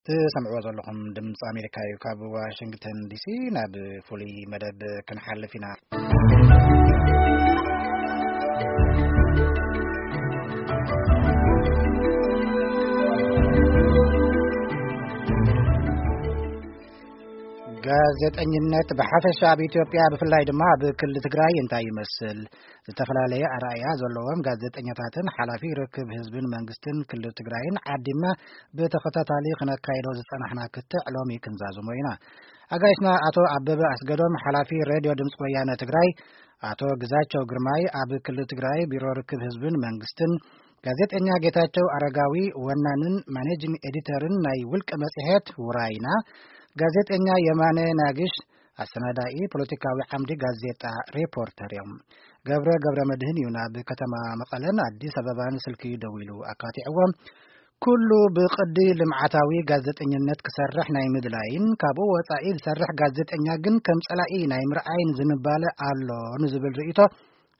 ትሰምዕዎ ዘለኹም ድምፂ ኣሜሪካ እዩ። ካብ ዋሽንግተን ዲሲ ናብ ፍሉይ መደብ ክንሓልፍ ኢና። ጋዜጠኝነት ብሓፈሻ ኣብ ኢትዮጵያ፣ ብፍላይ ድማ ኣብ ክልል ትግራይ እንታይ ይመስል? ዝተፈላለየ ኣረኣእያ ዘለዎም ጋዜጠኛታትን ሓላፊ ርክብ ህዝብን መንግስትን ክልል ትግራይን ዓዲምና ብተኸታታሊ ክነካይዶ ዝጸናሕና ክትዕ ሎሚ ክንዛዝሞ ኢና። ኣጋይሽና ኣቶ ኣበበ ኣስገዶም፣ ሓላፊ ሬድዮ ድምፂ ወያነ ትግራይ፣ ኣቶ ግዛቸው ግርማይ፣ ኣብ ክልል ትግራይ ቢሮ ርክብ ህዝብን መንግስትን፣ ጋዜጠኛ ጌታቸው ኣረጋዊ፣ ወናንን ማኔጂንግ ኤዲተርን ናይ ውልቀ መጽሔት ውራይና፣ ጋዜጠኛ የማነ ናግሽ፣ ኣሰናዳኢ ፖለቲካዊ ዓምዲ ጋዜጣ ሪፖርተር እዮም። ገብረ ገብረ መድህን እዩ ናብ ከተማ መቐለን ኣዲስ ኣበባን ስልኪ ደዊሉ ኣካቲዕዎም። ኩሉ ብቕዲ ልምዓታዊ ጋዜጠኝነት ክሰርሕ ናይ ምድላይን ካብኡ ወጻኢ ዝሰርሕ ጋዜጠኛ ግን ከም ጸላኢ ናይ ምርኣይን ዝንባለ ኣሎ ንዝብል ርእይቶ፣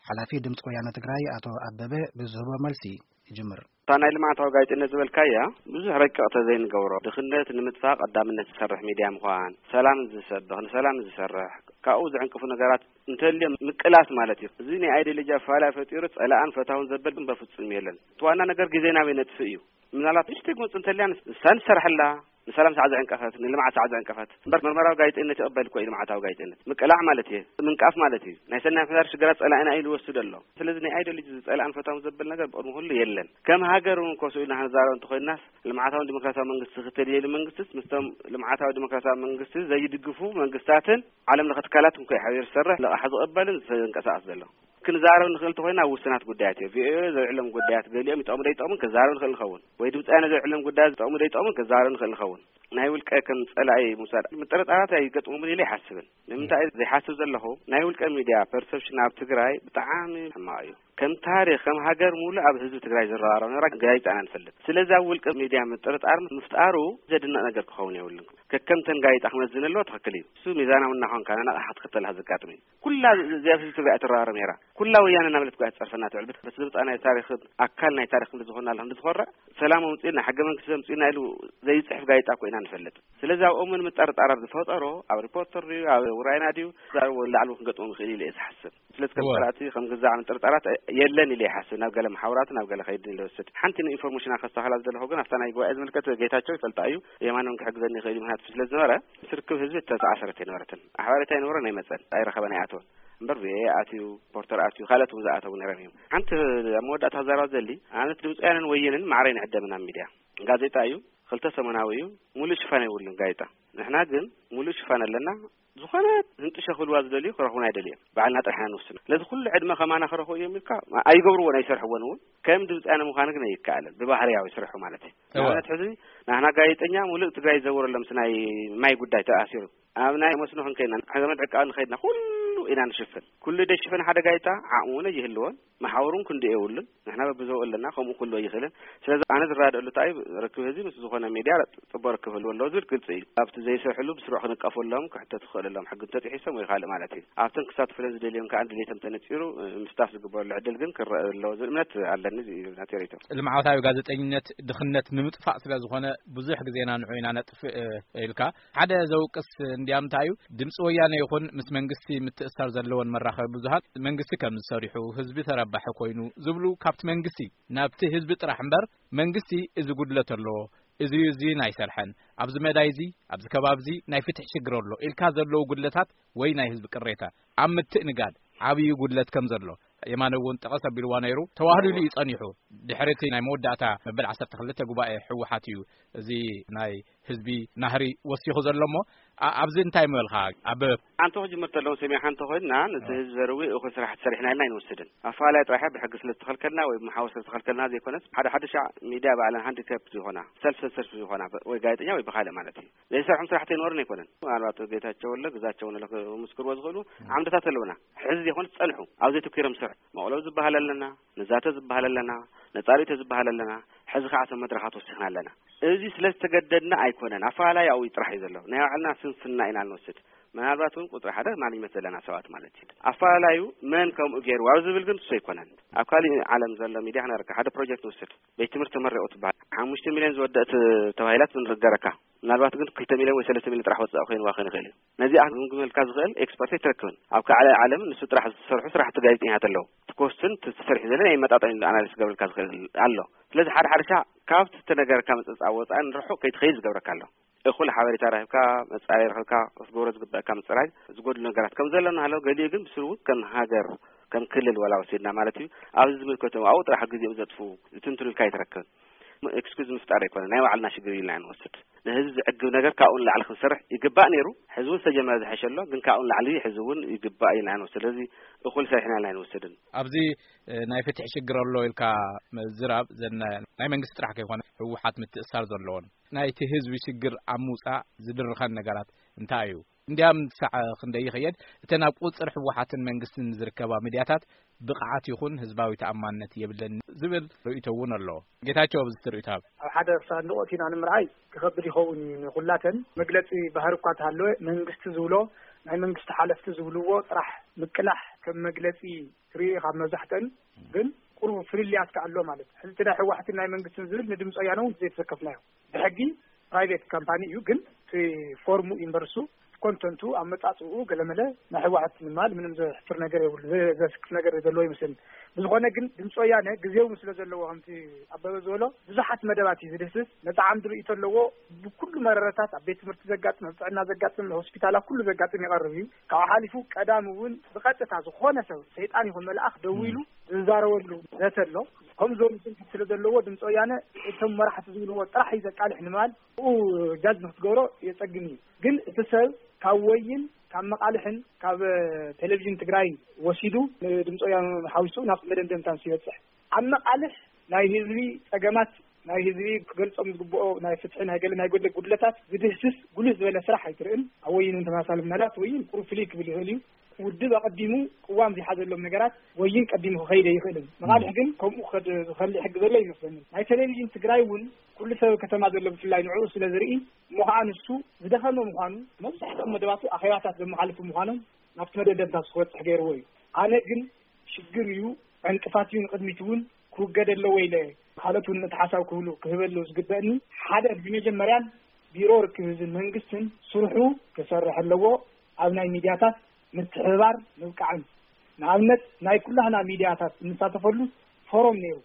ሓላፊ ድምፂ ወያነ ትግራይ ኣቶ ኣበበ ብዝህቦ መልሲ ይጅምር። እታ ናይ ልምዓታዊ ጋዜጠነት ዝበልካያ ብዙሕ ረቂቕ ተዘይንገብሮ፣ ድኽነት ንምጥፋእ ቀዳምነት ዝሰርሕ ሚድያ ምዃን፣ ሰላም ዝሰብኽ፣ ንሰላም ዝሰርሕ፣ ካብኡ ዝዕንቅፉ ነገራት እንተልዮም ምቅላስ ማለት እዩ። እዚ ናይ ኣይዲዮሎጂ ኣፈላላይ ፈጢሩ ጸላእን ፈታውን ዘበል ግን በፍጹም የለን። እቲ ዋና ነገር ግዜ ናበይ ነጥፍእ እዩ። ምናልባት ንእሽተይ ክመጽእ እንተልያ ንሳ ንሰርሐላ፣ ንሰላም ሳዕ ዘዕንቀፈት፣ ንልምዓት ሳዕ ዘዕንቀፈት። እምበር መርመራዊ ጋዜጠነት ይቕበል እኮ እዩ ልምዓታዊ ጋዜጠነት። ምቅላዕ ማለት እዩ፣ ምንቃፍ ማለት እዩ። ናይ ሰናይ ምሕዳር ሽግራት ጸላእና ኢሉ ይወስድ ኣሎ። ስለዚ ናይ ኣይዲዮሎጂ ዝጸላእን ፈታውን ዘበል ነገር ብቕድሚ ኩሉ የለን። ከም ሃገር እውን ኮስኡ ኢልና ክንዛረብ እንተኾይናስ፣ ልምዓታውን ዲሞክራሲያዊ መንግስቲ ክተልየሉ መንግስትስ ምስቶም ልምዓታዊ ዲሞክራሲያዊ መንግስቲ ዘይድግፉ መንግስታትን ዓለም ለኸ ትካላት እንኮ ሓቢሩ ዝሰርሕ፣ ልቓሕ ዝቕበልን ዝንቀሳቐስ ዘሎ። ክንዛረብ ንኽእል እንተኾይና ኣብ ውሱናት ጉዳያት እዩ። ቪኦኤ ዘልዕሎም ጉዳያት ገሊኦም ይጠቕሙ ዶ ይጠቕሙን ክንዛረብ ንኽእል ንኸውን። ወይ ድምፂ ወያነ ዘልዕሎም ጉዳያት ይጠቕሙ ዶ ይጠቕሙን ክንዛረብ ንኽእል ንኸውን። ናይ ውልቀ ከም ጸላኢ ምውሳድ ምጥርጣራት ኣይገጥሙምን ኢለ ይሓስብን። ንምንታይ ዘይሓስብ ዘለኹ፣ ናይ ውልቀ ሚድያ ፐርሰፕሽን ኣብ ትግራይ ብጣዕሚ ሕማቕ እዩ። ከም ታሪኽ፣ ከም ሃገር ሙሉእ ኣብ ህዝቢ ትግራይ ዝረባረብ ነራ ጋዜጣ ኢና ንፈልጥ። ስለዚ ኣብ ውልቀ ሚድያ ምጥርጣር ምፍጣሩ ዘድንቕ ነገር ክኸውን የብሉን። ከከምተን ጋዜጣ ክመዝን ኣለዎ፣ ትኽክል እዩ። እሱ ሚዛናዊ እናኾንካ ናናቕሓ ክትክተል ዘጋጥም እዩ። ኩላ እዚኣ ህዝቢ ትግራይ ትረባረብ ነይራ። ኩላ ወያነ እናበለት እኮ እያ ትጸርፈና ትውዕል። ብት-፣ በቲ ዝመጽኣ ናይ ታሪኽን ኣካል ናይ ታሪኽ ክንዲ ዝኾንና ኣለኹ፣ ክንዲ ዝኾርዕ፣ ሰላም ኣምጺእና፣ ሕገ መንግስቲ ዘምጺእና ኢሉ ዘይጽሕፍ ጋዜጣ እኮ ኢና ንፈልጥ። ስለዚ ኣብኦም እውን ምጠርጣራት ዝፈጠሮ ኣብ ሪፖርተር ድዩ፣ ኣብ ውራይና ድዩ፣ ዛዕባ ላዕሊ ክንገጥሞም ይኽእል ኢለ እየ ዝሓስብ። ስለዚ ከም እወ። ጸላእቲ ከም ግዛዕ ምጥርጣራት የለን ኢለ ይሓስብ። ናብ ገለ መሓውራት፣ ናብ ገለ ከይድን ኢለ ወስድ። ሓንቲ ንኢንፎርሜሽን ከስተኻላ ዝደለኹ ግን ኣብታ ናይ ጉባኤ ዝምልከት ጌታቸው ይፈልጣ እዩ። የማኖም ክሕግዘኒ ይኽእል እዩ፣ ምክንያቱ ስለ ዝነበረ ምስ ርክብ ህዝቢ ተተኣሰረት ኣይነበረትን። ኣሕባሪት ኣይነበረን ኣይመጸን፣ ኣይረኸበን ኣይኣተወን። እምበር ቪኦኤ ኣትዩ፣ ፖርተር ኣትዩ፣ ካልኦት እውን ዝኣተዉ ነይሮም እዮም። ሓንቲ ኣብ መወዳእታ ክዛረባ ዘሊ፣ ኣነት ድምፂውያንን ወየንን ማዕረ ይንዕደምን ኣብ ሚድያ። ጋዜጣ እዩ፣ ክልተ ሰሙናዊ እዩ፣ ሙሉእ ሽፋን የብሉን ጋዜጣ። ንሕና ግን ሙሉእ ሽፋን ኣለና። ዝኾነ ህንጥሸ ክብልዋ ዝደልዩ ክረኽቡና ኣይደልዮም። ባዕልና ጥራሕ ኢና ንውስኖ። ስለዚ ኩሉ ዕድመ ከማና ክረኽቡ እዮም ኢልካ ኣይገብርዎን፣ ኣይሰርሕዎን እውን። ከም ድምፂውያነ ምዃኑ ግን ኣይከኣልን፣ ብባህርያዊ ስርሑ ማለት እዩ። እወ። ንኣብነት ሕዚ ናህና ጋዜጠኛ ሙሉእ ትግራይ ይዘውር ኣሎ ምስ ናይ ማይ ጉዳይ ተኣሲሩ። ኣብ ናይ መስኖ ክንከይድና፣ ዘመድ ዕቃብ ንኸይድና፣ ኩሉ ኢና ንሽፍን። ኩሉ ደሽፈን ሓደ ጋዜጣ ዓቕሚ እውን ኣይህልዎን፣ መሓውሩን ክንዲ የብሉን። ንሕና በብዘው ኣለና፣ ከምኡ ክህልዎ ኣይኽእልን። ስለዚ ኣነ ዝረዳደኣሉ እንታይ እዩ፣ ርክብ ህዝቢ ምስ ዝኾነ ሚድያ ጽቡቕ ርክብ ህልዎ ኣለዎ ዝብል ግልጺ እዩ። ኣብቲ ዘይሰርሕሉ ብስሩዕ ክንቀፈሎም፣ ክሕተቱ ክኽእለሎም፣ ሕጊ እንተጥሒሶም ወይ ካልእ ማለት እዩ። ኣብተን ክሳተፉለን ዝደልዮን ከኣ ድሌቶም ተነጺሩ፣ ምስታፍ ዝግበረሉ ዕድል ግን ክረአ ኣለዎ ዝብል እምነት ኣለኒ። እዚ እዩ ናተይ ርእይቶ። ልምዓታዊ ጋዜጠኝነት ድኽነት ንምጥፋእ ስለ ዝኾነ ብዙሕ ግዜና ንዑ ኢና ነጥፍእ፣ እ፣ ኢልካ። ሓደ ዘውቅስ እንድያ እንታይ እዩ፣ ድምፂ ወያነ ይኹን ምስ መንግስቲ ምትእስሳር ዘለወን መራኸቢ ብዙሃን መንግስቲ ከም ዝሰሪሑ፣ ህዝቢ ተረባሒ ኮይኑ ዝብሉ ካብቲ መንግስቲ ናብቲ ህዝቢ ጥራሕ እምበር፣ መንግስቲ እዚ ጉድለት ኣለዎ፣ እዚ እዩ፣ እዚ ኣይሰርሐን፣ ኣብዚ መዳይ እዚ፣ ኣብዚ ከባቢ እዚ ናይ ፍትሒ ሽግር ኣሎ ኢልካ ዘለዉ ጉድለታት ወይ ናይ ህዝቢ ቅሬታ ኣብ ምትእንጋድ ዓብዪ ጉድለት ከም ዘሎ የማነ እውን ጠቐስ ኣቢልዋ ነይሩ። ተዋህሊሉ እዩ ጸኒሑ። ድሕሪ እቲ ናይ መወዳእታ መበል ዓሰርተ ክልተ ጉባኤ ህወሓት እዩ እዚ ናይ ህዝቢ ናህሪ ወሲኹ ዘሎ እሞ፣ ኣ-፣ ኣብዚ እንታይ ምበልካ? ኣብ ሓንቲ ክጅምር ተለውን ሰሚዓ እንተኾይንና፣ ነቲ እ። ህዝቢ ዘርዊ እኹል ስራሕቲ ሰሪሕና ኢልና ኣይንወስድን። ኣፈላላይ ጥራሕ ብሕጊ ስለ ዝተኸልከልና ወይ ብመሓውር ስለ ዝተኸልከልና ዘይኮነስ፣ ሓደ ሓደ ሻዕ ሚድያ ባዕለን ሃንዲካፕ ዝኾና፣ ሰልፍ ሰንሰርሽፕ ዝኾና፣ ብ-፣ ወይ ጋዜጠኛ ወይ ብኻልእ ማለት እዩ። ዘይሰርሖም ስራሕቲ ኣይነበሩን ኣይኮነን። ምናልባት ጌታቸው ወለ፣ ግዛቸው ወለ ክምስክርዎ ዝኽእሉ ዓምድታት ኣለውና። ሕዚ ዘይኮነስ ዝጸንሑ፣ ኣብ ዘይትኩሮም ስራሕ መቕለብ ዝበሃል ኣለና፣ ንዛተ ዝበሃል ኣለና፣ ነጻሪቶ ዝበሃል ኣለና። ሕዚ ከዓ እቶም መድረኻት ወሲኽና ኣለና። እዚ ስለ ዝተገደድና ኣይኮነን፣ ኣፈላላይ ኣብኡ ጥራሕ እዩ ዘሎ። ናይ ባዕልና ስንፍና ኢና ንወስድ። ምናልባት እውን ቁፅሪ ሓደ ማኔጅመንት ዘለና ሰባት ማለት እዩ። ኣፈላላዩ መን ከምኡ ገይሩ ኣብ ዝብል ግን እሱ ኣይኮነን። ኣብ ካሊእ ዓለም ዘሎ ሚድያ ክነረካ ሓደ ፕሮጀክት ንውስድ። ቤት ትምህርቲ ተመሪቑ ትበሃል። ሓሙሽተ ሚልዮን ዝወደእት ተባሂላት ንርገረካ። ምናልባት ግን ክልተ ሚልዮን ወይ ሰለስተ ሚልዮን ጥራሕ ወጻኢ ኮይንዋ ክኸውን ይኽእል እዩ። ነዚኣ ክግምግመልካ ዝኽእል ኤክስፐርት ኣይትረክብን። ኣብ ካልእ ዓለም ንሱ ጥራሕ ዝሰርሑ ስራሕቲ ጋዜጠኛታት ኣለዉ። እቲ ኮስትን እቲ ተሰሪሑ ዘሎ ናይ መጣጣኒ ኣናሊስ ክገብረልካ ዝኽእል ኣሎ። ስለዚ ሓደ ሓደ ሻዕ ካብቲ ዝተነገረካ ምጽብጻብ ወጻኢ ንርሑቕ ከይትኸይድ ዝገብረካ ኣሎ። እኹል ሓበሬታ ረኺብካ፣ መጻረይ ረኺብካ ክትገብሮ ዝግበኣካ ምጽራይ ዝጎድሉ ነገራት ከም ዘሎ እናሃለወ፣ ገሊኡ ግን ብስሩ እውን ከም ሃገር፣ ከም ክልል ዋላ ወሲድና ማለት እዩ፣ ኣብዚ ዝምልከቶም ኣብኡ ጥራሕ ግዜኦም ዘጥፍኡ ዝትንትኑልካ ኣይትረክብን። ኤክስኪዝ ምፍጣር ኣይኮነ፣ ናይ ባዕልና ሽግር ኢልና ንወስድ። ንህዝቢ ዝዕግብ ነገር ካብኡ ንላዕሊ ክንሰርሕ ይግባእ ነይሩ። ሕዚ እውን ዝተጀመረ ዝሐሸ ኣሎ፣ ግን ካብኡ ንላዕሊ ሕዚ እውን ይግባእ ኢልና ንወስድ። ስለዚ እኹል ሰሪሕና ኢልና ኣይንወስድን። ኣብዚ እ፣ ናይ ፍትሒ ሽግር ኣሎ ኢልካ ምዝራብ፣ ዘን ናይ መንግስቲ ጥራሕ ከይኮነ ህወሓት ምትእሳር ዘለዎን ናይቲ ህዝቢ ሽግር ኣብ ምውፃእ ዝድርኸን ነገራት እንታይ እዩ? እንዲያም ሳዕ ክንደይ ይኸየድ፣ እተን ኣብ ቁፅር ህወሓትን መንግስትን ዝርከባ ሚድያታት ብቕዓት ይኹን ህዝባዊ ተኣማንነት የብለን ዝብል ርእይቶ እውን ኣሎ። ጌታቸው፣ ኣብዚ ትርእይቶ ሃብ። ኣብ ሓደ ሳንዱቕ ኣቲና ንምርኣይ ክኸብድ ይኸውን እዩ ንኹላተን። መግለጺ ባህሪ እኳ እንተሃለወ፣ መንግስቲ ዝብሎ፣ ናይ መንግስቲ ሓለፍቲ ዝብልዎ ጥራሕ ምቅላሕ ከም መግለጺ ትርኢ ኢኻ። መብዛሕተን ግን ቁሩብ ፍልልያት ከ ኣሎ ማለት እዩ። ሕዚ እቲ ናይ ህወሓትን ናይ መንግስትን ዝብል ንድምፂ ወያነ እውን ዘይተሰከፍናዮ። ብሕጊ ፕራይቬት ካምፓኒ እዩ፣ ግን እቲ ፎርሙ ዩኒቨርሱ ኮንተንቱ ኣመጻጽኡ ገለመለ ናይ ህወሓት ንማል ምንም ዘሕፍር ነገር የብሉ፣ ዘ-፣ ዘስክፍ ነገር ዘለዎ ይመስለኒ። ብዝኾነ ግን ድምፂ ወያነ ግዜው ስለ ዘለዎ ከምቲ ኣበበ ዝበሎ ብዙሓት መደባት እዩ ዝድህስስ። ነፃ ዓምዲ ርእይቶ ኣለዎ። ብኩሉ መረረታት ኣብ ቤት ትምህርቲ ዘጋጥም፣ ኣብ ጥዕና ዘጋጥም፣ ሆስፒታላት ኩሉ ዘጋጥም ይቐርብ እዩ። ካብኡ ሓሊፉ ቀዳም እውን ብቐጥታ ዝኾነ ሰብ ሰይጣን ይኹን መልኣኽ ደዊሉ ዝዛረበሉ ዘተ ኣሎ። ከምዞም ስልኪ ስለ ዘለዎ ድምፂ ወያነ እቶም መራሕቲ ዝብልዎ ጥራሕ እዩ ዘቃልሕ ንማል ብኡ ጃጅ ንክትገብሮ የፀግም እዩ። ግን እቲ ሰብ ካብ ወይን ካብ መቃልሕን ካብ ቴሌቪዥን ትግራይ ወሲዱ ንድምፂ ወያነ ሓዊሱ ናብ መደምደምታ ምስ ይበፅሕ ኣብ መቃልሕ ናይ ህዝቢ ፀገማት ናይ ህዝቢ ክገልፆም ዝግብኦ ናይ ፍትሒ ናይ ገለ ናይ ጎደለ ጉድለታት ዝድህስስ ጉልህ ዝበለ ስራሕ ኣይትርእን። ኣብ ወይን እውን ተመሳሳሊ ምናልባት ወይን ቁሩብ ፍልይ ክብል ይኽእል እዩ። ውድብ ኣቐዲሙ ቅዋም ዝሓዘሎም ነገራት ወይን ቀዲሙ ክኸይድ ኣይኽእልን። መቓልሕ ግን ከምኡ ክኸድ ዝኸልእ ሕጊ ዘሎ ይመስለኒ። ናይ ቴሌቪዥን ትግራይ እውን ኩሉ ሰብ ከተማ ዘሎ ብፍላይ ንዕኡ ስለ ዝርኢ እሞ ከዓ ንሱ ዝደኸመ ምዃኑ መብዛሕትኦም መደባቱ ኣኼባታት ዘመሓልፉ ምዃኖም ናብቲ መደምደምታ ክበፅሕ ገይርዎ እዩ። ኣነ ግን ሽግር እዩ፣ ዕንቅፋት እዩ፣ ንቕድሚት እውን ክውገድ ኣለዎ ኢለ ካልኦት እውን ነቲ ሓሳብ ክህሉ ክህበሉ ዝግበእኒ ሓደ ብመጀመርያን ቢሮ ርክብ ህዝብን መንግስትን ስርሑ ክሰርሕ ኣለዎ። ኣብ ናይ ሚድያታት ምትሕብባር ምብቃዕን ንኣብነት ናይ ኩላህና ሚድያታት እንሳተፈሉ ፎሮም ነይሩ።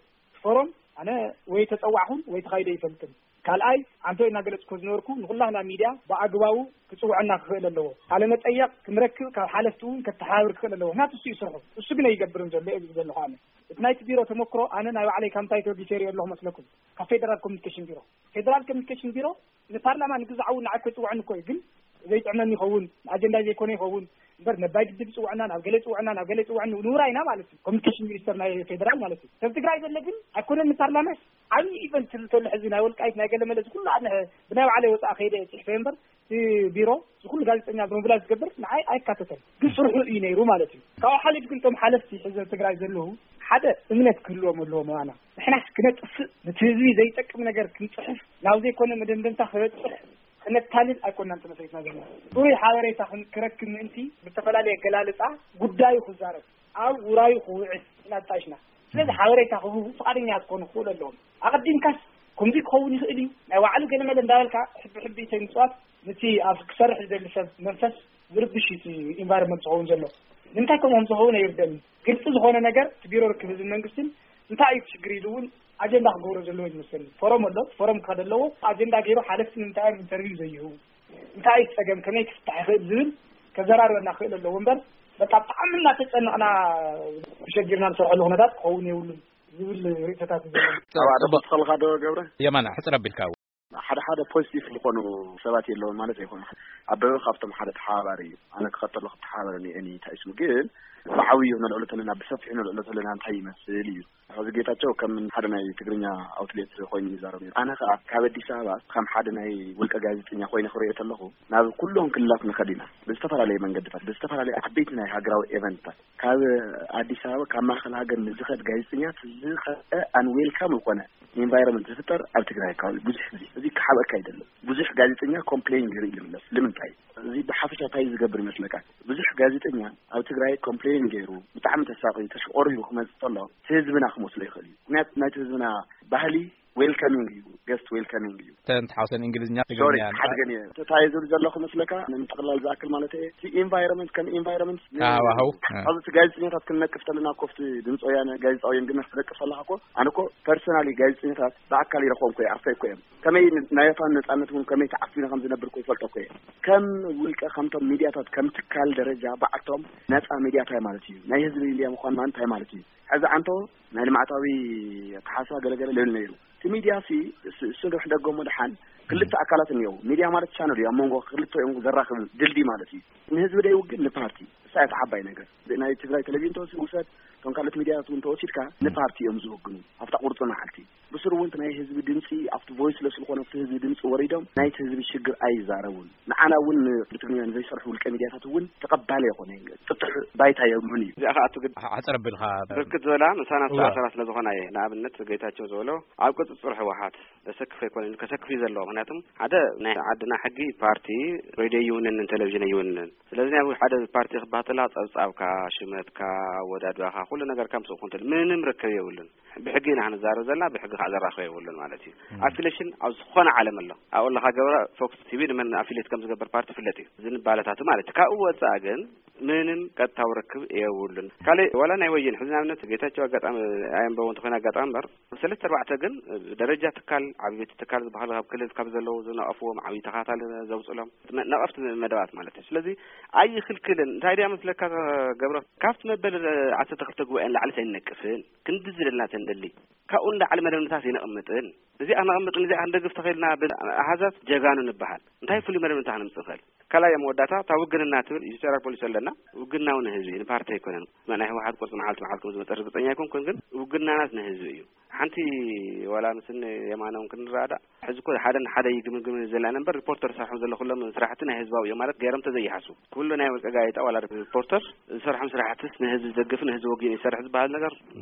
ፎሮም ኣነ ወይ ተፀዋዕኹን ወይ ተኻይደ ይፈልጥን። ካልኣይ ኣንቶ እናገለፅኮ ዝነበርኩ ንኩላህና ሚድያ ብኣግባቡ ክፅውዐና ክኽእል ኣለዎ። ቃለ መጠየቕ ክንረክብ ካብ ሓለፍቲ እውን ከተሓባብር ክኽእል ኣለዎ። ምክንያቱ እሱ እዩ ስርሑ። እሱ ግን ኣይገብርን ዘሎ እየ ዝብል ዘለኹ ኣነ። እቲ ናይቲ ቢሮ ተመክሮ ኣነ ናይ ባዕለይ ካብ እንታይ ተወጊሰ ይሪኦ ኣለኹ መስለኩም? ካብ ፌደራል ኮሚኒኬሽን ቢሮ። ፌደራል ኮሚኒኬሽን ቢሮ ንፓርላማ ንግዛዕ እውን ንዓይ ክፅውዐኒ እኮ እዩ። ግን ዘይጥዕመኒ ይኸውን፣ ንኣጀንዳ ዘይኮነ ይኸውን እምበር ነባይ ግድብ ይፅውዐና፣ ናብ ገለ ይፅውዐና፣ ናብ ገለ ይፅውዐኒ ንውራይና ማለት እዩ። ኮሚኒኬሽን ሚኒስተር ናይ ፌደራል ማለት እዩ። ሰብ ትግራይ ዘሎ ግን ኣይኮነን ንፓርላማስ ዓብዪ ኢቨንት ዝብል ተሎ ሕዚ ናይ ወልቃይት ናይ ገለ መለ ዝኩሉ ኣነ ብናይ ባዕለይ ወፃኢ ከይደ ፅሕፈ እምበር እቲ ቢሮ ዝኩሉ ጋዜጠኛ ብምብላይ ዝገብር ንዓይ ኣይካተተን። ግን ስርሑ እዩ ነይሩ ማለት እዩ። ካብኡ ሓሊፍ ግን እቶም ሓለፍቲ ሕዚ ኣብ ትግራይ ዘለዉ ሓደ እምነት ክህልዎም ኣለዎ ምባና። ንሕናስ ክነጥፍእ ነቲ ህዝቢ ዘይጠቅም ነገር ክንፅሕፍ ናብ ዘይኮነ መደምደምታ ክበፅሕ ክነታልል ኣይኮናን ተመሰሪትና ዘለና። ፅሩይ ሓበሬታ ክን-፣ ክረክብ ምእንቲ ብዝተፈላለየ ኣገላልፃ ጉዳዩ ክዛረብ ኣብ ውራዩ ክውዕል ኢና ተጣይሽና። ስለዚ ሓበሬታ ክህቡ ፍቓደኛ ክትኮኑ ክኽእሉ ኣለዎም። ኣቐዲምካስ ከምዚ ክኸውን ይኽእል እዩ፣ ናይ ባዕሉ ገለ መለ እንዳበልካ ሕቢ ሕቢ ተይ ምፅዋት ነቲ ኣብ ክሰርሕ ዝደሊ ሰብ መንፈስ ዝርብሽ እዩ እቲ ኢንቫይሮንመንት ዝኸውን ዘሎ። ንምንታይ ከምኦም ዝኸውን ኣይርደእን። ግልፂ ዝኾነ ነገር እቲ ቢሮ ርክብ ህዝብን መንግስትን እንታይ እዩ እቲ ሽግር ኢሉ እውን ኣጀንዳ ክገብሮ ዘለዎ ይመስለኒ። ፎረም ኣሎ፣ ፎረም ክኸደ ኣለዎ። ኣጀንዳ ገይሩ ሓለፍቲ ንምንታይ እዮም ኢንተርቪው ዘይህቡ፣ እንታይ እዩ ጸገም፣ ከመይ ክፍታሕ ይኽእል ዝብል ከዘራርበና ክኽእል ኣለዎ እምበር በቃ ብጣዕሚ እናተጨነቕና ተሸጊርና ንሰርሐሉ ኩነታት ክኸውን የብሉን ዝብል ርእይቶታት እዩ ዘለኒ። ኣብ ኣደ ጽቡቕ። ክተኸልካ ዶ ገብረ? የማና፣ ሕጽር ኣቢልካ። ሓደ ሓደ ፖዚቲቭ ዝኾኑ ሰባት የለውን ማለት ኣይኮነን። ኣበበ ካብቶም ሓደ ተሓባባሪ እዩ። ኣነ ክኸተሎ ክተሓባበረኒ እየ እንታይ ስሙ ግን ብዓብዩ ነልዕሎ ተለና ብሰፊሑ ነልዕሎ ተለና እንታይ ይመስል እዩ። ሕዚ ጌታቸው ከም ሓደ ናይ ትግርኛ ኣውትሌት ኮይኑ ይዛረብ ነይሩ። ኣነ ከኣ ካብ ኣዲስ ኣበባ ከም ሓደ ናይ ውልቀ ጋዜጠኛ ኮይነ ክሪኦ ከለኹ ናብ ኩሎም ክልላት ንኸድ ኢና ብዝተፈላለየ መንገድታት ብዝተፈላለየ ዓበይቲ ናይ ሃገራዊ ኤቨንትታት ካብ ኣዲስ ኣበባ ካብ ማእኸል ሃገር ንዝኸድ ጋዜጠኛ ዝኸደ ኣን ዌልካም ዝኾነ ኢንቫይሮንመንት ዝፍጠር ኣብ ትግራይ ኣካባቢ ብዙሕ ግዜ እዚ ክሓበካ ኣይደለም። ብዙሕ ጋዜጠኛ ኮምፕሌን ገይሩ እዩ ዝምለስ። ንምንታይ? እዚ ብሓፈሻ እንታይ ዝገብር ይመስለካ? ብዙሕ ጋዜጠኛ ኣብ ትግራይ ኮምፕሌን ገይሩ ብጣዕሚ ተሳቒዩ ተሽቆሪሩ ክመጽእ ከሎ ህዝብና ክመስሎ ይኽእል እዩ። ምክንያቱ ናይቲ ህዝብና ባህሊ ዌልካሚንግ እዩ፣ ገስት ዌልካሚንግ እዩ። ተንት ሓውሰን እንግሊዝኛ ሶሪ ትግርኛ። ሓድገን እየ ተታየ ዝብል ዘለኹ መስለካ። ንምጥቕላል ዝኣክል ማለት እየ፣ እቲ ኢንቫይሮንመንት ከም ኢንቫይሮንመንት ሃዋህው ኣብዚ ጋዜጠኛታት ክንነቅፍ ተለና እኮ፣ ኣብቲ ድምፂ ወያነ ጋዜጣዊ ግን ክትነቅፍ ከለካ እኮ፣ ኣነ እኮ ፐርሰናሊ ጋዜጠኛታት ብኣካል ይረኽቦም እኮ እየ፣ ኣርፈይ እኮ እዮም። ከመይ ናይ ፋኖ ነፃነት እውን ከመይ ተዓፊነ ከም ዝነብር እኮ ይፈልጦ እኮ እየ። ከም ውልቀ ከምቶም ሚድያታት ከም ትካል ደረጃ ባዕልቶም ነፃ ሚድያ እንታይ ማለት እዩ፣ ናይ ህዝቢ ሚድያ ምኳን ማለት እንታይ ማለት እዩ። ሕዚ ኣንቶ ናይ ልምዓታዊ ኣተሓሳስባ ገለገለ ልብል ነይሩ። እቲ ሚድያ ሲ እሱ ንድሕ ደገሞ ድሓን ክልተ ኣካላት እኒአው። ሚድያ ማለት ቻነል እዩ፣ ኣብ መንጎ ክልተ እዮም ዘራኽብ ድልድይ ማለት እዩ። ንህዝቢ ደይ ውግን ንፓርቲ እሳ እቲ ዓባይ ነገር። ናይ ትግራይ ቴሌቪዥን ተወሲ ውሰድ፣ እቶም ካልኦት ሚድያታት እውን ተወሲድካ ንፓርቲ እዮም ዝውግኑ ኣብታ ቁርፂ መዓልቲ። ብስሩ እውን እቲ ናይ ህዝቢ ድምፂ ኣብቲ ቮይስ ለስ ዝኾነ ኣብቲ ህዝቢ ድምፂ ወሪዶም ናይቲ ህዝቢ ሽግር ኣይዛረቡን። ንዓና እውን ብትግርኛ ንዘይሰርሑ ውልቀ ሚድያታት እውን ተቐባሊ ኣይኮነ፣ ጥጡሕ ባይታ የብሉን እዩ። እዚኣ ከዓ እቲ ግድ ሓፀር ኣቢልካ ብርክት ዝበላ ምሳና ዝተኣሰራ ስለ ዝኾና እየ። ንኣብነት ጌታቸው ዝበሎ ኣብ ቁፅፅር ህወሓት ዘሰክፍ ኣይኮነን፣ ከሰክፍ እዩ ዘለዎ። ምክንያቱም ሓደ ናይ ዓድና ሕጊ ፓርቲ ሬድዮ ይውንን፣ ቴሌቪዥን ይውንን። ስለዚ ናይ ሓደ ፓርቲ ክበሃል ተላ ፀብፃብካ፣ ሽመትካ፣ ኣወዳድባኻ፣ ኩሉ ነገርካ ምስኡ ክኾን ምንም ርክብ የብሉን። ብሕጊ ኢና ክንዛረብ ዘለና፣ ብሕጊ ከዓ ዘራኽብ የብሉን ማለት እዩ። ኣፊሌሽን ኣብ ዝኾነ ዓለም ኣሎ። ኣብኡ ኣለካ ገብረ ፎክስ ቲቪ ንመን ኣፊሌት ከም ዝገብር ፓርቲ ፍለጥ እዩ፣ ዝንባለታቱ ማለት እዩ። ካብኡ ወፃእ ግን ምንም ቀጥታዊ ርክብ የብሉን። ካልእ ዋላ ናይ ወየን ሕዚ ንኣብነት ጌታቸው ኣጋጣሚ ኣየንበቦ እንተኾይኑ ኣጋጣሚ እምበር ሰለስተ ኣርባዕተ ግን ደረጃ ትካል ዓብይቲ ትካል ዝበሃል ካብ ክልል ካብ ዘለዉ ዝነቐፍዎም ዓብዪ ተኸታታሊ ዘውፅሎም ነቐፍቲ መደባት ማለት እዩ። ስለዚ ኣይኽልክልን እንታይ ድያ መስለካ ገብረ ካብቲ መበል ዓሰርተ ክልተ ጉባኤ ንላዕሊ ኣይንነቅፍን ክንዲ ዝደልና ተንደሊ ካብኡ ንላዕሊ መደብ ንታት ይነቕምጥን እዚኣ ነቕምጥን እዚኣ ክንደግፍ ተኸይልና ብኣሃዛት ጀጋኑ ንበሃል እንታይ ፍሉይ መደብ ንታ ክንምፅእ ንኽእል ካልኣይ መወዳእታ እታ ውግንና ትብል ኢትዮጵያ ፖሊሲ ኣለና። ውግናው ንህዝቢ እዩ ንፓርቲ ኣይኮነን። ናይ ህወሓት ቁርፂ መዓልቲ መዓልቲ ከም ዝመፀ ርግፀኛ ኣይኮንኩን፣ ግን ውግናናት ንህዝቢ እዩ። ሓንቲ ዋላ ምስን የማናውን ክንረዳእ ሕዚ እኮ ሓደ ሓደ ይግምግም ዘለና እምበር ሪፖርተር ዝሰርሖም ዘሎ ኩሎም ስራሕቲ ናይ ህዝባዊ እዮም ማለት ገይሮም ተዘይሓሱ ኩሉ ናይ ውልቀ ጋዜጣ ዋላ ሪፖርተር ዝሰርሖም ስራሕትስ ንህዝቢ ዝደግፍ ንህዝቢ ወጊን ይሰርሕ ዝበሃል ነገር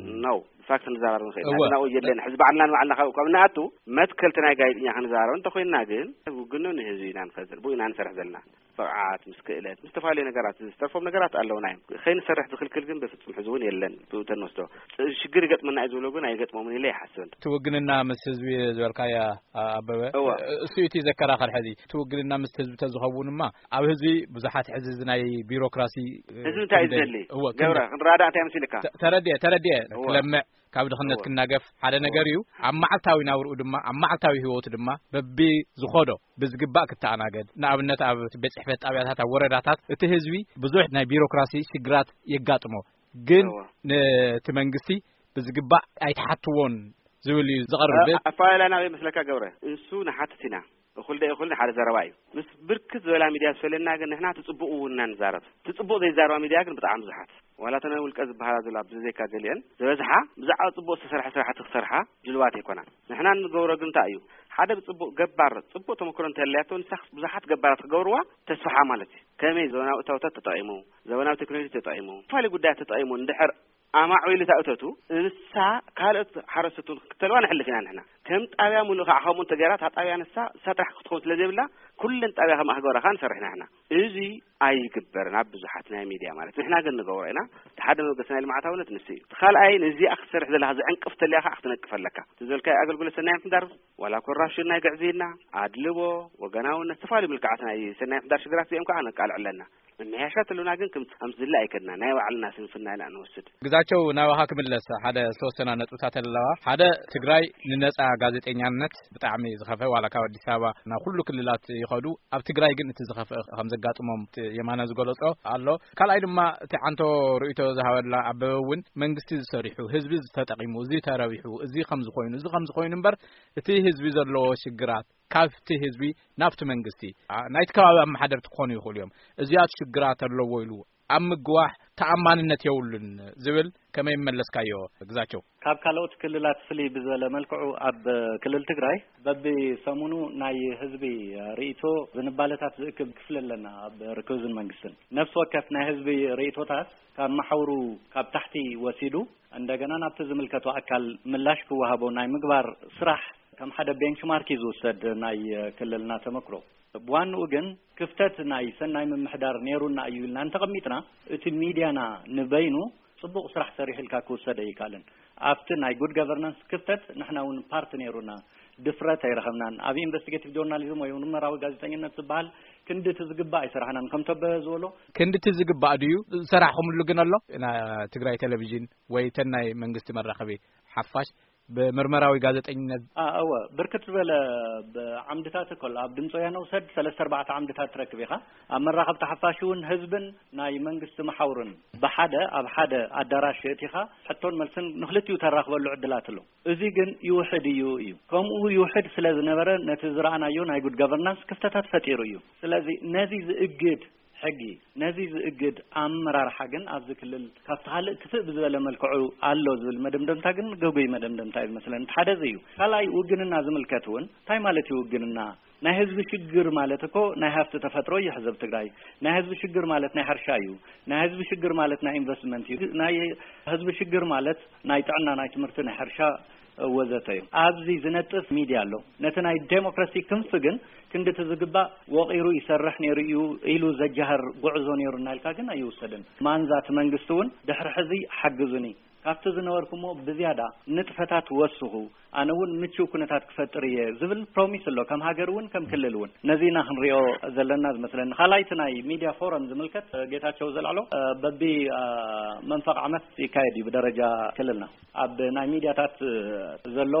ነው። ብፋክት ንዛረብ ንኽእል ኢና። እወ። ግን ኣብኡ የለን። ሕዚ ባዕልና ንባዕልና ካብ ካብ ንኣቱ መትከልቲ ናይ ጋዜጠኛ ክንዛረብ እንተኮይንና ግን ውግኑ ንህዝቢ ኢና ንፈጥር፣ ብኡ ኢና ንሰርሕ ዘለና። ብቕዓት፣ ምስ ክእለት፣ ምስ ዝተፈላለዩ ነገራት ዝተርፎም ነገራት ኣለውና እዮም። ከይንሰርሕ ዝኽልክል ግን በፍጹም ሕዚ እውን የለን። ብኡ ተንወስዶ ፅ- ሽግር ይገጥመና እዩ ዝብሎ ግን ኣይገጥሞምን ኢለ ይሓስብ። እቲ ውግንና ምስ ህዝቢ ዝበልካያ ኣ- ኣበበ እወ። እሱ እቲ ዘከራኸር ሕዚ እቲ ውግንና ምስ ህዝቢ ተዝኸውን እማ ኣብ ህዝቢ ብዙሓት ሕዚ እዚ ናይ ቢሮክራሲ ህዝቢ እንታይ እዩ ክንደይ- ዝደሊ? እወ፣ ገብረ ክንደይ- ክንረዳእ እንታይ መሲልካ? ተ- ተረድኤ ተረድኤ እወ። ክለምዕ ካብ ድኽነት እወ። ክናገፍ ሓደ እወ። ነገር እዩ። ኣብ መዓልታዊ ናብርኡ ድማ ኣብ መዓልታዊ ህይወቱ ድማ በቢ ዝኾዶ ብዝግባእ ክተኣናገድ ንኣብነት ኣብ ቤት ጽሕፈት ጣብያታት ኣብ ወረዳታት እቲ ህዝቢ ብዙሕ ናይ ቢሮክራሲ ሽግራት የጋጥሞ ግን እወ። ነቲ መንግስቲ ብዝግባእ ኣይተሓትዎን ዝብል እዩ ዝቐርብ። ኣፈላላይና ኣበይ መስለካ ገብረ? እንሱ ንሓትት ኢና። እኹል ዶ ይኹል ሓደ ዘረባ እዩ። ምስ ብርክት ዝበላ ሚድያ ዝፈለየና ግን ንሕና ትጽቡቕ እውን ኢና ንዛረብ። ትጽቡቕ ዘይዛረባ ሚድያ ግን ብጣዕሚ ብዙሓት። ዋላ እተን ውልቀ ዝበሃላ ዘሎ ኣብዚ ዘይካ ገሊአን ዝበዝሓ ብዛዕባ ጽቡቕ ዝተሰርሐ ስራሕቲ ክሰርሓ ድልዋት ኣይኮናን። ንሕና እንገብሮ ግን እንታይ እዩ? ሓደ ብጽቡቕ ገባር ጽቡቕ ተመክሮ እንተለያቶ ንሳ ብዙሓት ገባራት ክገብርዋ ተስፋሓ ማለት እዩ። ከመይ ዘበናዊ እታወታት ተጠቒሙ፣ ዘበናዊ ቴክኖሎጂ ተጠቒሙ፣ ዝተፈላለዩ ጉዳያት ተጠቒሙ እንድሕር ኣማዕቢሉ እታ እቶቱ እንሳ ካልኦት ሓረስቶት እውን ክክተልዋ ንሕልፍ ኢና ንሕና። ከም ጣብያ ሙሉእ ከዓ ከምኡ እንተገይራ እታ ጣብያ ንሳ እሳ ጥራሕ ክትኸውን ስለ ዘይብላ ኩለን ጣብያ ከምኣ ክገብራ ከዓ ንሰርሕ ኢና ንሕና። እዚ ኣይግበርን ኣብ ብዙሓት ናይ ሚድያ ማለት ንሕና ግን ንገብሮ ኢና። እቲ ሓደ መበገሲ ናይ ልምዓታውነት ንሱ እዩ። እቲ ካልኣይ ንዚኣ ክትሰርሕ ዘለካ ዝዕንቅፍ ተልያ ከዓ ክትነቅፍ ኣለካ። እቲ ዝበልካዮ ኣገልግሎት ሰናይ ምሕዳር ዋላ ኮራፕሽን ናይ ግዕዝይና፣ ኣድልዎ፣ ወገናውነት ዝተፈላለዩ ምልክዓት ናይ ሰናይ ምሕዳር ሽግራት እዚኦም ከዓ ነቃልዕ ኣለና። መመያሻ ተለና ግን ከም ከም ዝድለ ኣይከድና ናይ ባዕልና ስንፍና ኢና ንወስድ። ግዛቸው ናባኻ ክምለስ ሓደ ዝተወሰና ነጥብታት ኣለዋ። ሓደ ትግራይ ንነጻ ጋዜጠኛነት ብጣዕሚ ዝኸፈ ዋላ ካብ ኣዲስ ኣበባ ናብ ኩሉ ክልላት ይኸዱ ኣብ ትግራይ ግን እቲ ዝኸፈ ከም ዘጋጥሞም እቲ የማነ ዝገለጾ ኣሎ። ካልኣይ ድማ እቲ ዓንቶ ርእይቶ ዝሃበላ ኣበበ እውን መንግስቲ ዝሰሪሑ ህዝቢ ዝተጠቂሙ እዚ ተረቢሑ እዚ ከም ዝኾይኑ እዚ ከም ዝኾይኑ እምበር እቲ ህዝቢ ዘለዎ ሽግራት ካብቲ ህዝቢ ናብቲ መንግስቲ ናይቲ ከባቢ ኣመሓደርቲ ክኾኑ ይኽእሉ እዮም። እዚኣት ሽግራት ኣለዎ ኢሉ ኣብ ምግዋሕ ተኣማንነት የብሉን ዝብል ከመይ መለስካዮ ግዛቸው? ካብ ካልኦት ክልላት ፍልይ ብዝበለ መልክዑ ኣብ ክልል ትግራይ በብሰሙኑ ናይ ህዝቢ ርእይቶ ዝንባለታት ዝእክብ ክፍሊ ኣለና ኣብ ርክብዝን መንግስትን። ነፍሲ ወከፍ ናይ ህዝቢ ርእይቶታት ካብ መሓውሩ ካብ ታሕቲ ወሲዱ እንደገና ናብቲ ዝምልከቶ ኣካል ምላሽ ክወሃቦ ናይ ምግባር ስራሕ ከም ሓደ ቤንችማርክ እዩ ዝውሰድ ናይ ክልልና ተመክሮ። ብዋንኡ ግን ክፍተት ናይ ሰናይ ምምሕዳር ነይሩና እዩ ኢልና እንተቐሚጥና እቲ ሚድያና ንበይኑ ፅቡቕ ስራሕ ሰሪሑ ኢልካ ክውሰድ ኣይከኣልን። ኣብቲ ናይ ጉድ ገቨርናንስ ክፍተት ንሕና እውን ፓርቲ ነይሩና። ድፍረት ኣይረኸብናን። ኣብ ኢንቨስቲጌቲቭ ጆርናሊዝም ወይ ምርመራዊ ጋዜጠኝነት ዝበሃል ክንዲ እቲ ዝግባእ ኣይሰራሕናን። ከም ተበበ ዝበሎ፣ ክንዲ እቲ ዝግባእ ድዩ ዝሰራሕኹምሉ ግን ኣሎ? ና-፣ ትግራይ ቴሌቪዥን ወይ ተን ናይ መንግስቲ መራኸቢ ሓፋሽ ብምርመራዊ ጋዜጠኝነት? አ፣ እወ፣ ብርክት ዝበለ ብ-፣ ዓምድታት እኮ ኣሎ። ኣብ ድምፂ ወያነ ውሰድ፣ ሰለስተ ኣርባዕተ ዓምድታት ትረክብ ኢኻ። ኣብ መራኸብቲ ሓፋሽ እውን ህዝብን ናይ መንግስቲ መሓውርን ብሓደ ኣብ ሓደ ኣዳራሽ የእቲኻ ሕቶን መልስን ንኽልቲኡ ተራኽበሉ ዕድላት ኣሎ። እዚ ግን ይውሕድ እዩ እዩ። ከምኡ ይውሕድ ስለ ዝነበረ ነቲ ዝረኣናዮ ናይ ጉድ ገቨርናንስ ክፍተታት ፈጢሩ እዩ። ስለዚ ነዚ ዝእግድ ሕጊ፣ ነዚ ዝእግድ ኣመራርሓ ግን ኣብዚ ክልል ካብቲ ካልእ ክፍእ ብዝበለ መልክዑ ኣሎ ዝብል መደምደምታ ግን ገጉይ መደምደምታ እዩ ዝመስለኒ። እቲ ሓደ እዚ እዩ። ካልኣይ ውግንና ዝምልከት እውን እንታይ ማለት እዩ ውግንና? ናይ ህዝቢ ሽግር ማለት እኮ ናይ ሃፍቲ ተፈጥሮ እዩ ሕዘብ ትግራይ። ናይ ህዝቢ ሽግር ማለት ናይ ሕርሻ እዩ። ናይ ህዝቢ ሽግር ማለት ናይ ኢንቨስትመንት እዩ። ናይ ህዝቢ ሽግር ማለት ናይ ጥዕና፣ ናይ ትምህርቲ፣ ናይ ሕርሻ ወዘተ እዩ። ኣብዚ ዝነጥፍ ሚድያ ኣሎ። ነቲ ናይ ዴሞክራሲ ክንፊ ግን ክንድቲ ዝግባእ ወቒሩ ይሰርሕ ነይሩ እዩ ኢሉ ዘጃህር ጉዕዞ ነይሩ እናኢልካ ግን ኣይውሰድን። ማንዛ እቲ መንግስቲ እውን ድሕሪ ሕዚ ሓግዙኒ፣ ካብቲ ዝነበርኩሞ ብዝያዳ ንጥፈታት ወስኹ፣ ኣነ እውን ምቹው ኩነታት ክፈጥር እየ ዝብል ፕሮሚስ ኣሎ፣ ከም ሃገር እውን ከም ክልል እውን። ነዚ ኢና ክንሪኦ ዘለና ዝመስለኒ። ካልኣይቲ ናይ ሚድያ ፎረም ዝምልከት ጌታቸው ዘልዓሎ በቢ መንፈቕ ዓመት ይካየድ እዩ ብደረጃ ክልልና። ኣብ ናይ ሚድያታት ዘሎ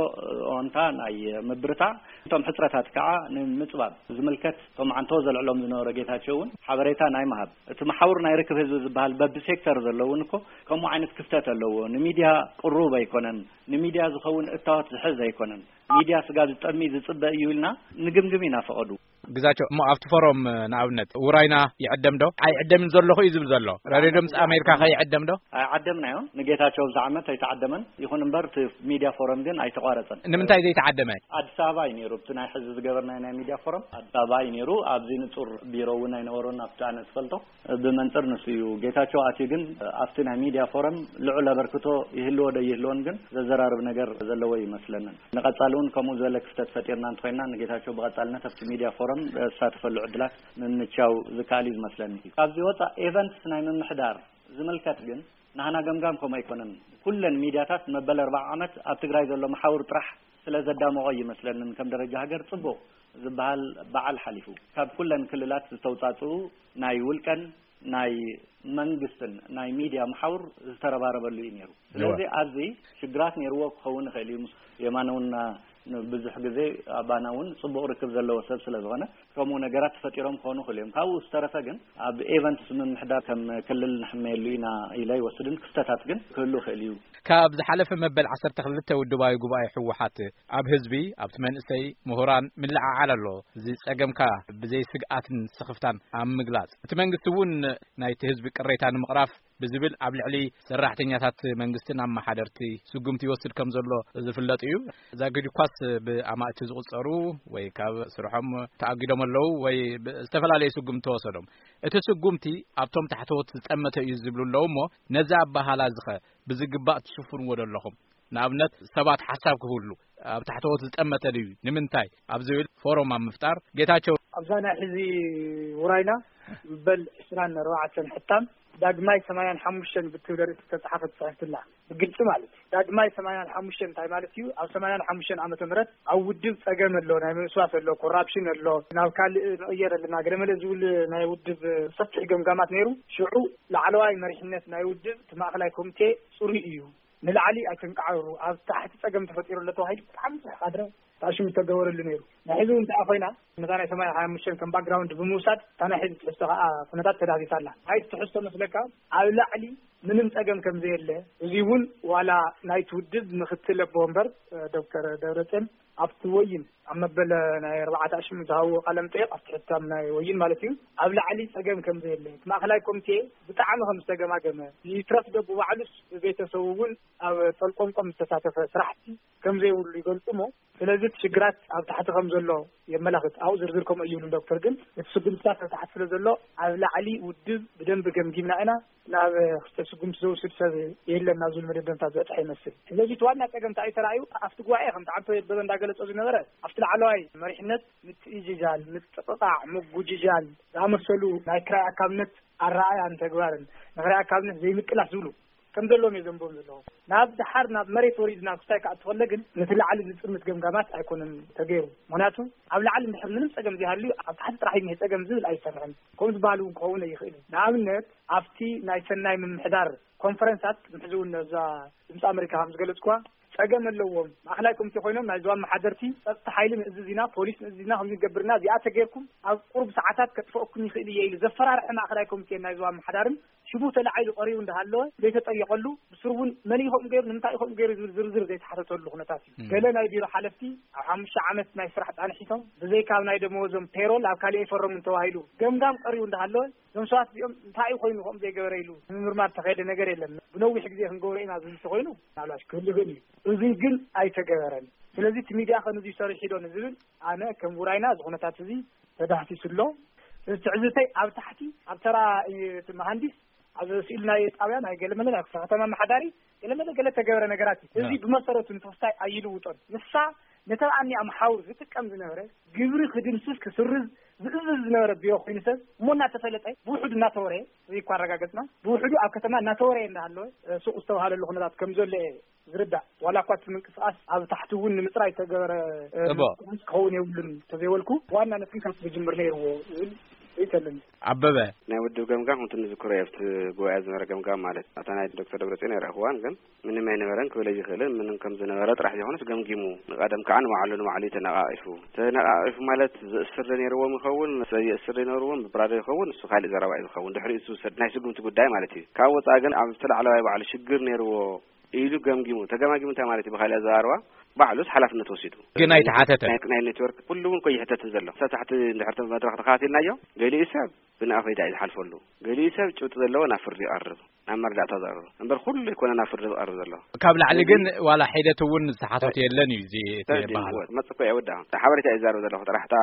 ኦንታ ናይ ምብርታዕ፣ እቶም ሕፅረታት ከዓ ንምፅባብ ዝምልከት እቶም ዓንቶ ዘልዕሎም ዝነበረ ጌታቸው እውን ሓበሬታ ናይ ምሃብ፣ እቲ መሓውር ናይ ርክብ ህዝቢ ዝበሃል በቢ ሴክተር ዘሎ እውን እኮ ከምኡ ዓይነት ክፍተት ኣለዎ። ንሚድያ ቅሩብ ኣይኮነን፣ ንሚድያ ዝኸውን እታወት ዝሕዝ ኣይኮነን። ሚድያ ስጋብ ዝጠሚ ዝፅበ እዩ ኢልና ንግምግም ኢና ፈቐዱ። ግዛቸው እሞ ኣብቲ ፎረም ንኣብነት ውራይና ይዕደም ዶ? ኣይዕደምን ዘለኹ እዩ ዝብል ዘሎ። ራድዮ ድምፂ ኣሜሪካ ከ ይዕደም ዶ? ኣይዓደምናዮን። ንጌታቸው ኣብዚ ዓመት ኣይተዓደመን። ይኹን እምበር እቲ ሚድያ ፎረም ግን ኣይተቋረፀን። ንምንታይ ዘይተዓደመ? ኣዲስ ኣበባ እዩ ነይሩ። ኣብቲ ናይ ሕዚ ዝገበርናዮ ናይ ሚድያ ፎረም ኣዲስ ኣበባ እዩ ነይሩ። ኣብዚ ንፁር ቢሮ እውን ኣይነበሮን ኣብቲ ኣነ ዝፈልጦ። ብመንፅር ንሱ እዩ። ጌታቸው ኣትዩ ግን ኣብቲ ናይ ሚድያ ፎረም ልዑል ኣበርክቶ ይህልዎ ዶ ይህልዎን ግን ዘዘራርብ ነገር ዘለዎ ይመስለንን። ንቐፃሊ እውን ከምኡ ዝበለ ክፍተት ፈጢርና እንተኾይና ንጌታቸው ብቐፃልነት ኣብቲ ሚድያ ፎረም ዝሳተፈሉ ዕድላት ምምቻው ዝከኣል እዩ ዝመስለኒ። ካብዚ ወፃእ ኤቨንትስ ናይ ምምሕዳር ዝምልከት ግን ናህና ገምጋም ከምኡ ኣይኮነን። ኩለን ሚድያታት መበል ኣርባዓ ዓመት ኣብ ትግራይ ዘሎ መሓውር ጥራሕ ስለ ዘዳመቖ ይመስለንን ከም ደረጃ ሃገር ፅቡቕ ዝበሃል በዓል ሓሊፉ ካብ ኩለን ክልላት ዝተውፃፅኡ ናይ ውልቀን ናይ መንግስትን ናይ ሚድያ መሓውር ዝተረባረበሉ እዩ ነይሩ። ስለዚ ኣብዚ ሽግራት ነይርዎ ክኸውን ይኽእል እዩ። ምስ የማነ እውን ብዙሕ ግዜ ኣባና እውን ፅቡቕ ርክብ ዘለዎ ሰብ ስለ ዝኾነ ከምኡ ነገራት ተፈጢሮም ክኾኑ ይኽእሉ እዮም። ካብኡ ዝተረፈ ግን ኣብ ኤቨንትስ ምምሕዳር ከም ክልል ንሕመየሉ ኢና ኢለ ኣይወስድን። ክፍተታት ግን ክህሉ ይኽእል እዩ። ካብ ዝሓለፈ መበል ዓሰርተ ክልተ ውድባዊ ጉባኤ ህወሓት ኣብ ህዝቢ፣ ኣብቲ መንእሰይ፣ ምሁራን ምልዕዓል ኣሎ። እዚ ጸገምካ ብዘይ ስግኣትን ስኽፍታን ኣብ ምግላጽ፣ እቲ መንግስቲ እውን ናይቲ ህዝቢ ቅሬታ ንምቕራፍ ብዝብል ኣብ ልዕሊ ሰራሕተኛታት መንግስትን ኣመሓደርቲ ስጉምቲ ይወስድ ከም ዘሎ ዝፍለጥ እዩ። ዛጊድ እኳስ ብኣማእቲ ዝቑጸሩ ወይ ካብ ስርሖም ተኣጊዶም ኣለዉ ወይ ብ-፣ ዝተፈላለዩ ስጉምቲ ተወሰዶም። እቲ ስጉምቲ ኣብቶም ታሕተዎት ዝጠመተ እዩ ዝብሉ ኣለዉ እሞ ነዚ ኣበሃላ ዝኸ ብዝግባእ ትሽፍንዎ ዶ ኣለኹም? ንኣብነት ሰባት ሓሳብ ክህሉ ኣብ ታሕተዎት ዝጠመተ ድዩ? ንምንታይ? ኣብ ዝብል ፎረም ኣብ ምፍጣር ጌታቸው ኣብዛ ናይ ሕዚ ውራይና በል ዕስራን ኣርባዕተን ሕታም ዳግማይ ሰማንያን ሓሙሽተን ብትብል ርእሲ ዝተጻሓፈት ጽሕፍቲ ኣላ። ብግልጺ ማለት እዩ። ዳግማይ ሰማንያን ሓሙሽተን እንታይ ማለት እዩ? ኣብ ሰማንያን ሓሙሽተን ዓመተ ምህረት ኣብ ውድብ ጸገም ኣሎ፣ ናይ ምውስዋስ ኣሎ፣ ኮራፕሽን ኣሎ፣ ናብ ካልእ ንቕየር ኣለና፣ ገለመለ ዝብል ናይ ውድብ ሰፊሕ ገምጋማት ነይሩ። ሽዑ ላዕለዋይ መሪሕነት ናይ ውድብ እቲ ማእኸላይ ኮሚቴ ጽሩይ እዩ፣ ንላዕሊ ኣይትንቃዕሩ፣ ኣብ ታሕቲ ጸገም ተፈጢሩ ኣሎ ተባሂሉ ብጣዕሚ ብዙሕ ካድረ ተኣሽሙ ዝተገበረሉ ነይሩ። ናይ ሕዚ እውን እንተኣ ኮይና ነታ ናይ ሰማንያን ሓሙሽተን ከም ባክግራውንድ ብምውሳድ እታ ናይ ሕዚ ትሕዝቶ ከዓ ኩነታት ተዳህሲሳ ኣላ። ናይቲ ትሕዝቶ መስለካ ኣብ ላዕሊ ምንም ጸገም ከም ዘየለ፣ እዚ እውን ዋላ ናይቲ ውድብ ምክትል ኣቦ ወንበር ዶክተር ደብረጽዮን ኣብቲ ወይን ኣብ መበል ናይ ኣርባዕተ ኣሽሙ ዝሃብዎ ቃለ መጠይቕ ኣብቲ ሕታም ናይ ወይን ማለት እዩ፣ ኣብ ላዕሊ ጸገም ከም ዘየለ፣ እቲ ማእከላይ ኮሚቴ ብጣዕሚ ከም ዝተገማገመ፣ ይትረፍ ዶ ብባዕሉስ ብቤተሰቡ እውን ኣብ ጠልቆምቆም ዝተሳተፈ ስራሕቲ ከም ዘይብሉ ይገልጹ እሞ፣ ስለዚ እቲ ሽግራት ኣብ ታሕቲ ከም ዘሎ የመላኽት። ኣብኡ ዝርዝር ከምኡ ይብሉ ዶክተር፣ ግን እቲ ስጉምትታት ኣብ ታሕቲ ስለ ዘሎ ኣብ ላዕሊ ውድብ ብደንቢ ገምጊምና ኢና፣ ናብ ክልተ ስጉምቲ ዘውስድ ሰብ የለን ናብ ዝብል መደምደምታ ዝበጽሐ ይመስል። ስለዚ እቲ ዋና ጸገም እንታይ እዩ ተራእዩ? ኣብቲ ጉባኤ ከምቲ ዓንቶ የበበ እንዳገለጾ ዝነበረ ኣብቲ ላዕለዋይ መሪሕነት ምትእጅጃል፣ ምጥቕቓዕ፣ ምጉጅጃል ዝኣመሰሉ ናይ ክራይ ኣካብነት ኣረኣእያን ተግባርን ንክራይ ኣካብነት ዘይምቅላስ ዝብሉ ከም ዘለዎም እየ ዘንብቦም ዘለኹ። ናብ ደሓር ናብ መሬት ወሪድና ክስታይ ክኣቱ ከሎ ግን ነቲ ላዕሊ ዝጥምት ገምጋማት ኣይኮነን ተገይሩ። ምኽንያቱ ኣብ ላዕሊ እንድሕር ምንም ጸገም ዘይሃልዩ ኣብ ታሕቲ ጥራሕ እዩ ጸገም ዝብል ኣይሰምዕን። ከምኡ ዝበሃል እውን ክኸውን ኣይኽእልን። ንኣብነት ኣብቲ ናይ ሰናይ ምምሕዳር ኮንፈረንሳት፣ ሕዚ እውን ነዛ ድምፂ ኣመሪካ ከም ዝገለጽኩዋ ጸገም ኣለዎም። ማእኸላይ ኮሚቴ ኮይኖም ናይ ዞባ ኣመሓደርቲ ጸጥታ ሓይሊ ንእዝዝ ኢና፣ ፖሊስ ንእዝዝ ኢና፣ ከምዚ ንገብር ኢና፣ እዚኣ ተገይርኩም ኣብ ቁሩብ ሰዓታት ከጥፈአኩም ይኽእል እየ ኢሉ ዘፈራርሐ ማእኸላይ ኮሚቴ ናይ ዞባ ኣመሓዳርን ሽሙ ተላዒሉ ቀሪቡ እንዳሃለወ ዘይተጠየቐሉ፣ ብስሩ እውን መን ኢኹም ገይሩ፣ ንምንታይ ኢኹም ገይሩ ዝብል ዝርዝር ዘይተሓተተሉ ኩነታት እዩ። ገለ ናይ ቢሮ ሓለፍቲ ኣብ ሓሙሽተ ዓመት ናይ ስራሕ ጻንሒቶም ብዘይካ ኣብ ናይ ደመወዞም ፔሮል ኣብ ካሊእ ኣይፈረሙን ተባሂሉ ገምጋም ቀሪቡ እንዳሃለወ እዞም ሰባት እዚኦም እንታይ እዩ ኮይኑ ከምኡ ዘይገበረ ኢሉ ንምምርማር ተኸየደ ነገር የለን። ብነዊሕ ግዜ ክንገብሮ ኢና ዝብል ተኾይኑ ምናልባት ክህሉ ይኽእል እዩ። እዚ ግን ኣይተገበረን። ስለዚ እቲ ሚድያ ከ ንዙይ ሰሪሑ ዶ ንዝብል ኣነ ከም ውራይና እዚ ኩነታት እዚ ተዳህሲሱ ኣሎ። እዚ ትዕዝብተይ ኣብ ታሕቲ ኣብ ተራ እቲ መሃንዲስ ኣብ ስኢል ናይ ጣብያ ናይ ገለመለ ናይ ክፍለ ከተማ ኣመሓዳሪ ገለመለ ገለ ተገበረ ነገራት እዩ። እዚ ብመሰረቱ ንተወስታይ ኣይልውጦን። ንሳ ነተን ኣኒኣ መሓውር ዝጥቀም ዝነበረ ግብሪ ክድምስስ ክስርዝ ዝእዝዝ ዝነበረ ቢሮ ኮይኑ ሰብ እሞ እናተፈለጠ ብውሕዱ እናተወረየ እዚ እኳ ኣረጋገጽና ብውሕዱ ኣብ ከተማ እናተወረየ እንዳሃለወ ሱቕ ዝተባሃለሉ ኩነታት ከም ዘሎ እየ ዝርዳእ። ዋላ እኳ እቲ ምንቅስቃስ ኣብ ታሕቲ እውን ንምጽራይ ዝተገበረ እቦ። ምንቅስቃስ ክኸውን የብሉን ተዘይበልኩ ዋናነት ግን ካብቲ ክጅምር ነይርዎ ዝብል ርእይቶ ኣለኒ። ኣበበ። ናይ ውድብ ገምጋም ከምቲ ንዝክሮ ኣብቲ ጉባኤ ዝነበረ ገምጋም ማለት ኣታ ናይ ዶክተር ደብረጽዮን ኣይረእኽዋን ግን ምንም ኣይነበረን ክብል ኣይኽእልን። ምንም ከም ዝነበረ ጥራሕ ዘይኮነስ ገምጊሙ ንቀደም ከዓ ንባዕሉ ንባዕሉ እዩ ተነቃቂፉ። ተነቃቂፉ ማለት ዘእስር ዶ ነይርዎም ይኸውን፣ ሰብ የእስር ዶ ነይርዎም፣ ብብራዶ ይኸውን፣ እሱ ካልእ ዘረባ እዩ ዝኸውን። ድሕሪኡ ዝውሰድ ናይ ስጉምቲ ጉዳይ ማለት እዩ። ካብ ወፃኢ ግን ኣብ ተላዕለዋይ ባዕሉ ሽግር ነይርዎ ኢሉ ገምጊሙ። ተገማጊሙ እንታይ ማለት እዩ? ብካልእ ኣዘራርባ ባዕሉስ ሓላፍነት ወሲዱ። ግን ኣይተሓተተን። ናይ፣ ናይ ኔትወርክ ኩሉ እውን እኮ ይሕተትን ዘሎ። ሰብ ታሕቲ እንድሕር መድረኽ ተኸታቲልናዮ፣ ገሊኡ ሰብ ብንኣፈይዳ እዩ ዝሓልፈሉ። ገሊኡ ሰብ ጭብጢ ዘለዎ ናብ ፍርዲ ይቐርብ፣ ናብ መረዳእታ ዝቐርብ። እምበር ኩሉ ኣይኮነ ናብ ፍርዲ ዝቐርብ ዘሎ። ካብ ላዕሊ ግን ዋላ ሒደት እውን ዝተሓተቱ የለን እዩ እዚ እቲ በሃሉ። መጽእ እኮ እየ ወዳእ። ሓበሬታ እየ ዝዛረብ ዘለኹ። ጥራሕ እታ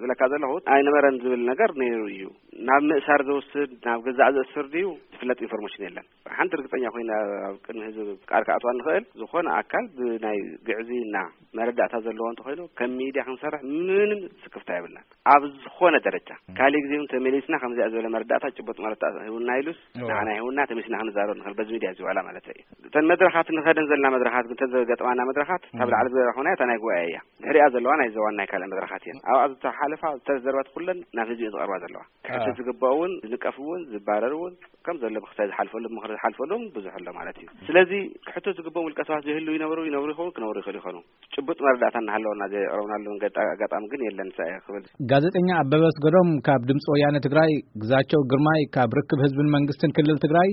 ዝብለካ ዘለኹ ኣይነበረን ዝብል ነገር ነይሩ እዩ። ናብ ምእሳር ዘውስድ፣ ናብ ገዛእ ዘእስር ድዩ ዝፍለጥ ኢንፎርሜሽን የለን። ሓንቲ ርግጸኛ ኮይና ኣብ ቅድሚ ህዝቢ ቃል ክኣትዋ ንኽእል፣ ዝኾነ ኣካል ብናይ ግዕዝይና መረዳእታ ዘለዎ እንተኾይኑ፣ ከም ሚድያ ክንሰርሕ ምንም ስክፍታ የብልናን። ኣብ ዝኾነ ደረጃ፣ ካልእ ግዜ እውን ተመሊስና ከምዚኣ ዝበለ መረዳእታ፣ ጭቡጥ መረዳእታ ሂቡና ኢሉስ፣ እዋ። ንዓና ሂቡና፣ ተመሊስና ክንዛረብ ንኽእል፣ በዚ ሚድያ እዚ ዋላ ማለት እዩ። እተን መድረኻት ንኸደን ዘለና መድረኻት፣ እተን ዘገጥማና መድረኻት፣ ካብ ላዕሊ ዝበላ ኾና፣ እታ ናይ ጉባኤ እያ። ድሕሪኣ ዘለዋ ናይ ዞባን ናይ ካልእ መድረኻት እየን። ኣብኣ ዝተሓለፋ ዝተዘርባት ኩለን ናብ ህዝቢ እየን ዝቐርባ ዘለዋ። ክሕተት ዝግባእ እውን፣ ዝንቀፍ እውን፣ ዝባረር እውን፣ ከም ዘሎ ብክስታይ ዝሓልፈሉ፣ ምኽሪ ዝሓልፈሉ እውን ብዙሕ ኣሎ ማለት እዩ። ስለዚ ክሕተት ዝግባኦም ውልቀ ሰባት ይህልው ይነብሩ፣ ይነብሩ ይኸውን፣ ክነብሩ ይኽእሉ ይኾኑ። ጭቡጥ መረዳእታ እናሃለወና ዘየቕረብናሉ ገጣ-፣ ኣጋጣሚ ግን የለን፣ ንሳ እየ ክብል። ጋዜጠኛ ኣበበ ኣስገዶም ካብ ድምፂ ወያነ ትግራይ፣ ግዛቸው ግርማይ ካብ ርክብ ህዝብን መንግስትን ክልል ትግራይ፣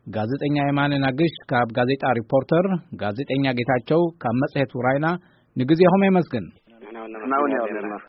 ጋዜጠኛ የማነ ናግሽ ካብ ጋዜጣ ሪፖርተር፣ ጋዜጠኛ ጌታቸው ካብ መጽሔት ውራይና፣ ንግዜኹም የመስግን። ንሕና እውን ንሕና እውን ነመስግን የቐኔልና።